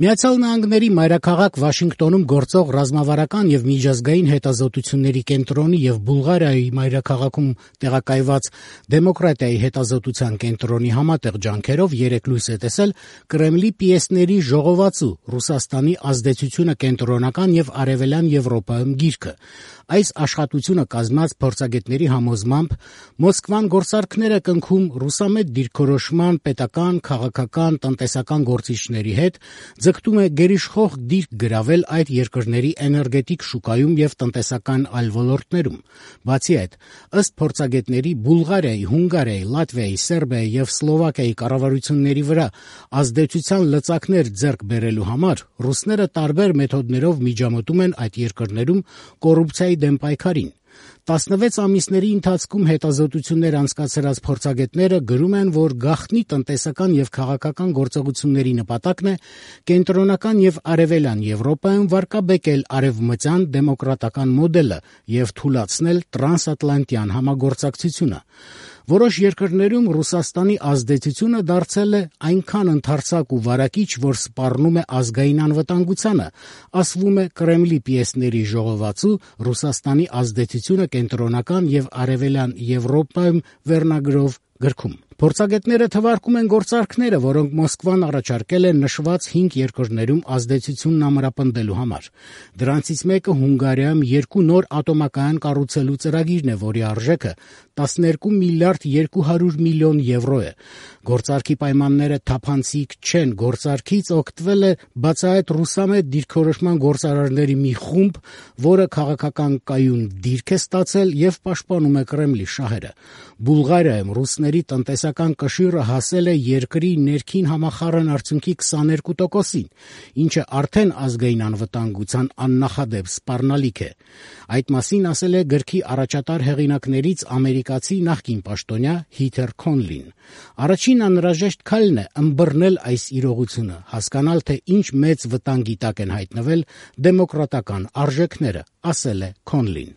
Միացյալ Նահանգների մայրաքաղաք Վաշինգտոնում գործող ռազմավարական եւ միջազգային հետազոտությունների կենտրոնի եւ Բուլղարիայի մայրաքաղաքում տեղակայված Դեմոկրատիայի հետազոտության կենտրոնի համատեղ ջանքերով երեկ լույս է տեսել Կրեմլի պիեսների ժողովածու «Ռուսաստանի ազդեցությունը կենտրոնական եւ արևելյան Եվրոպայում» գիրքը։ Այս աշխատությունը կազմած փորձագետների համոզմամբ Մոսկվան գործարքներ է կնքում ռուսամետ դիրքորոշման պետական, քաղաքական, տնտեսական գործիչների հետ, ձգտում է գերիշխող դիրք գրավել այդ երկրների էներգետիկ շուկայում եւ տնտեսական այլ ոլորտներում։ Բացի այդ, ըստ փորձագետների, Բուլղարիայի, Հունգարիայի, Լատվիայի, Սերբիայի եւ Սլովակիայի կառավարությունների վրա ազդեցության լծակներ ձեռք բերելու համար ռուսները տարբեր մեթոդներով միջամտում են այդ երկրներում կոռուպցիայի դեմ պայքարին։ 16 ամիսների ընթացքում հետազոտություններ անցկացրած փորձագետները գրում են, որ գաղտնի տնտեսական եւ քաղաքական գործողությունների նպատակն է կենտրոնական եւ արևելյան Եվրոպայում վարկաբեկել արևմտյան դեմոկրատական մոդելը եւ թուլացնել տրանսատլանտյան համագործակցությունը։ Որոշ երկրներում Ռուսաստանի ազդեցությունը դարձել է այնքան ընդարձակ ու վարակիչ, որ սպառնում է ազգային անվտանգությանը, ասվում է Կրեմլի պիեսների ժողովածու «Ռուսաստանի ազդեցությունը կենտրոնական եւ արևելյան Եվրոպայում» վերնագրով գրքում։ Փորձագետները թվարկում են գործարքները, որոնք Մոսկվան առաջարկել է նշված 5 երկրներում ազդեցությունն ամրապնդելու համար։ Դրանցից մեկը Հունգարիայում 2 նոր ատոմակայան կառուցելու ծրագիրն է, որի արժեքը 12 միլիարդ 200 միլիոն եվրո է։ Գործարքի պայմանները թափանցիկ չեն, գործարքից օգտվել է բացահայտ ռուսամետ դիրքորոշման գործարարների մի խումբ, որը քաղաքական կայուն դիրք է ստացել եւ պաշտպանում է Կրեմլի շահերը։ Բուլղարիայում ռուսների տնտեսական կշիռը հասել է երկրի ներքին համախառն արդյունքի 22%-ին, ինչը արդեն ազգային անվտանգության աննախադեպ սպառնալիք է։ Այդ մասին ասել է գրքի առաջատար հեղինակներից ամերիկացի նախկին պաշտոնյա Հիթեր Քոնլին։ Առաջին անհրաժեշտ քայլն է ըմբռնել այս իրողությունը, հասկանալ, թե ինչ մեծ վտանգի տակ են հայտնվել դեմոկրատական արժեքները, ասել է Քոնլին։